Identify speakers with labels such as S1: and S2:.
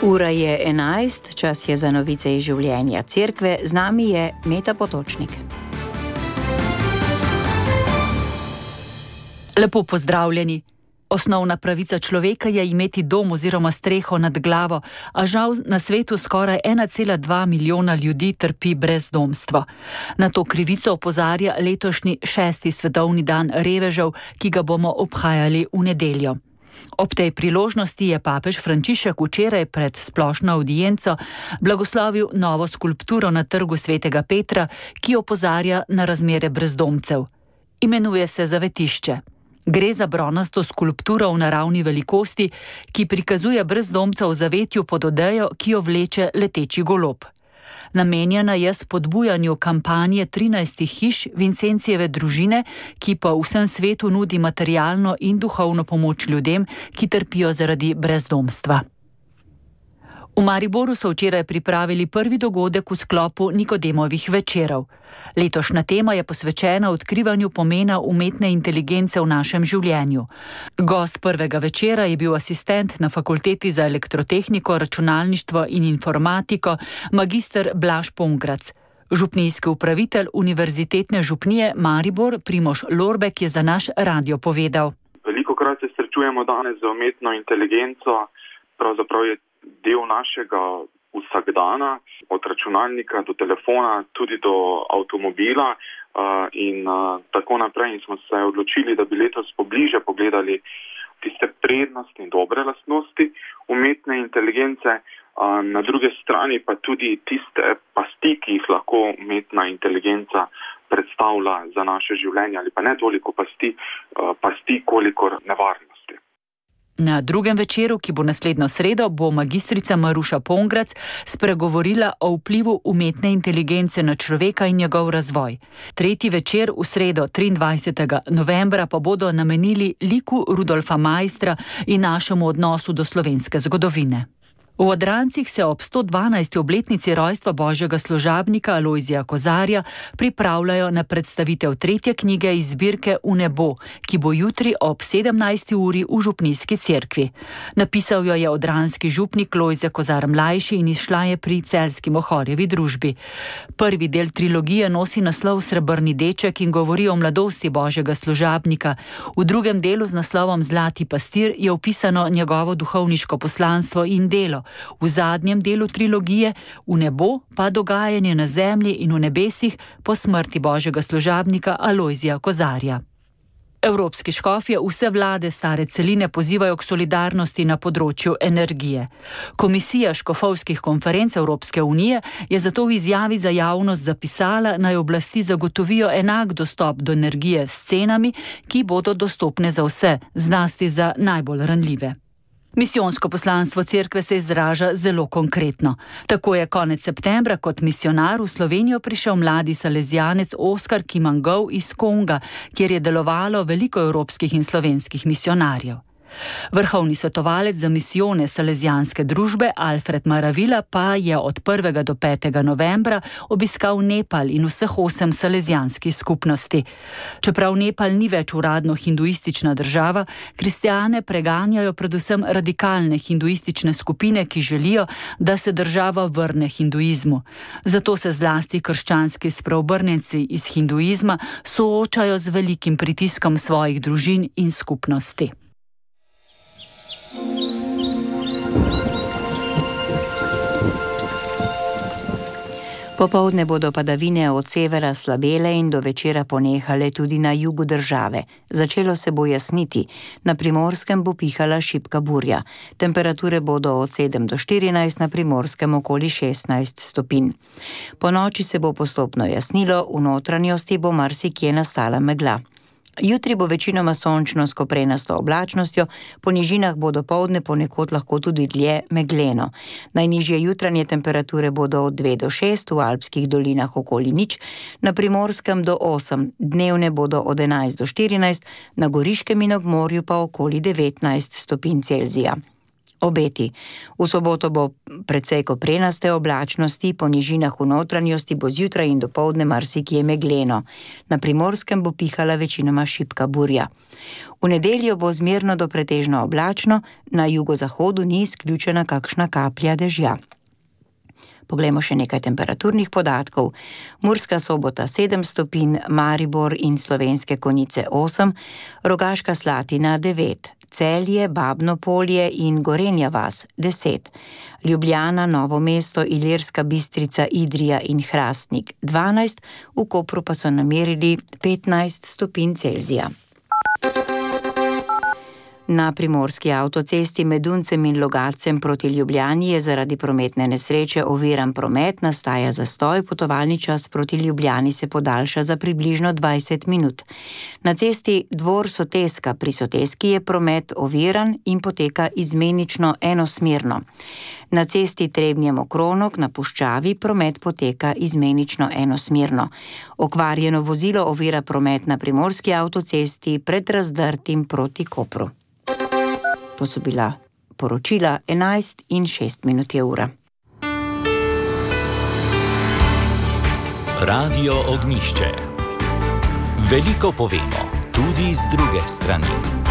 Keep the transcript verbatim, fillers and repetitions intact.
S1: Ura je enajst, čas je za novice iz življenja cerkve, z nami je Meta Potočnik.
S2: Lepo pozdravljeni. Osnovna pravica človeka je imeti dom oziroma streho nad glavo, a žal na svetu skoraj ena cela dva milijona ljudi trpi brezdomstvo. Na to krivico opozarja letošnji šesti svetovni dan revežev, ki ga bomo obhajali v nedeljo. Ob tej priložnosti je papež Frančišek včeraj pred splošno avdienco blagoslovil novo skulpturo na trgu svetega Petra, ki opozarja na razmere brezdomcev. Imenuje se Zavetišče. Gre za bronasto skulpturo v naravni velikosti, ki prikazuje brezdomca v zavetju pod odejo, ki jo vleče leteči golob. Namenjena je spodbujanju kampanje trinajstih hiš Vincencijeve družine, ki po vsem svetu nudi materialno in duhovno pomoč ljudem, ki trpijo zaradi brezdomstva. V Mariboru so včeraj pripravili prvi dogodek v sklopu Nikodemovih večerov. Letošnja tema je posvečena odkrivanju pomena umetne inteligence v našem življenju. Gost prvega večera je bil asistent na Fakulteti za elektrotehniko, računalništvo in informatiko, magister Blaž Pongrac. Župnijski upravitelj Univerzitetne župnije Maribor Primož Lorbek je za naš radio povedal.
S3: Velikokrat se srečujemo danes z umetno inteligenco, pravzaprav je del našega vsakdana, od računalnika do telefona, tudi do avtomobila uh, in uh, tako naprej. In smo se odločili, da bi letos pobliže pogledali tiste prednosti in dobre lastnosti umetne inteligence, uh, na druge strani pa tudi tiste pasti, ki jih lahko umetna inteligenca predstavlja za naše življenje, ali pa ne toliko pasti, uh, pasti kolikor nevarnosti.
S2: Na drugem večeru, ki bo naslednjo sredo, bo magistrica Maruša Pongrac spregovorila o vplivu umetne inteligence na človeka in njegov razvoj. Tretji večer v sredo triindvajsetega novembra pa bodo namenili liku Rudolfa Maistra in našemu odnosu do slovenske zgodovine. V Odrancih se ob sto dvanajsti obletnici rojstva božjega služabnika Alojzija Kozarja pripravljajo na predstavitev tretje knjige iz zbirke V nebo, ki bo jutri ob sedemnajsti uri v župnijski cerkvi. Napisal jo je odranski župnik Lojze Kozar mlajši in izšla je pri Celjski Mohorjevi družbi. Prvi del trilogije nosi naslov Srebrni deček in govori o mladosti božjega služabnika. V drugem delu z naslovom Zlati pastir je opisano njegovo duhovniško poslanstvo in delo. V zadnjem delu trilogije V nebo pa dogajanje na zemlji in v nebesih po smrti božjega služabnika Alojzija Kozarja. Evropski škofje vse vlade stare celine pozivajo k solidarnosti na področju energije. Komisija škofovskih konferenc Evropske unije je zato v izjavi za javnost zapisala, naj oblasti zagotovijo enak dostop do energije s cenami, ki bodo dostopne za vse, zlasti za najbolj ranljive. Misijonsko poslanstvo cerkve se izraža zelo konkretno. Tako je konec septembra kot misionar v Slovenijo prišel mladi salezijanec Oskar Kimangov iz Konga, kjer je delovalo veliko evropskih in slovenskih misionarjev. Vrhovni svetovalec za misijone salezijanske družbe Alfred Maravila pa je od prvega do petega novembra obiskal Nepal in vseh osem salezijanskih skupnosti. Čeprav Nepal ni več uradno hinduistična država, kristjane preganjajo predvsem radikalne hinduistične skupine, ki želijo, da se država vrne hinduizmu. Zato se zlasti krščanski spreobrnjenci iz hinduizma soočajo z velikim pritiskom svojih družin in skupnosti.
S1: Popoldne bodo padavine od severa slabele in do večera ponehale tudi na jugu države. Začelo se bo jasniti, na Primorskem bo pihala šibka burja. Temperature bodo od sedem do štirinajst, na Primorskem okoli šestnajst stopinj. Po noči se bo postopno jasnilo, v notranjosti bo marsikje nastala megla. Jutri bo večinoma sončno s koprenasto oblačnostjo, po nižinah bo dopoldne ponekod lahko tudi dlje megleno. Najnižje jutranje temperature bodo od dve do šest, v alpskih dolinah okoli nič, na Primorskem do osem, dnevne bodo od enajst do štirinajst, na Goriškem in ob morju pa okoli devetnajst stopinj Celzija. Obeti. V soboto bo precej koprenaste oblačnosti, po nižinah v notranjosti bo zjutraj in dopoldne marsikje megleno. Na Primorskem bo pihala večinoma šibka burja. V nedeljo bo zmerno do pretežno oblačno, na jugozahodu ni izključena kakšna kaplja dežja. Poglejmo še nekaj temperaturnih podatkov. Murska Sobota sedem stopinj, Maribor in Slovenske Konjice osem, Rogaška Slatina devet, Celje, Babno Polje in Gorenja vas deset, Ljubljana, Novo mesto, Ilirska Bistrica, Idrija in Hrastnik dvanajst, v Kopru pa so namerili petnajst stopinj Celzija. Na primorski avtocesti med Duncem in Logatcem proti Ljubljani je zaradi prometne nesreče oviran promet, nastaja zastoj, potovalni čas proti Ljubljani se podaljša za približno dvajset minut. Na cesti Dvor Soteska pri Soteski je promet oviran in poteka izmenično enosmerno. Na cesti Trebnje-Mokronog na Puščavi promet poteka izmenično enosmerno. Okvarjeno vozilo ovira promet na primorski avtocesti pred Razdrtim proti Kopru. To so bila poročila enajst in šest minut je ura.
S4: Radio Ognjišče. Veliko povemo, tudi z druge strani.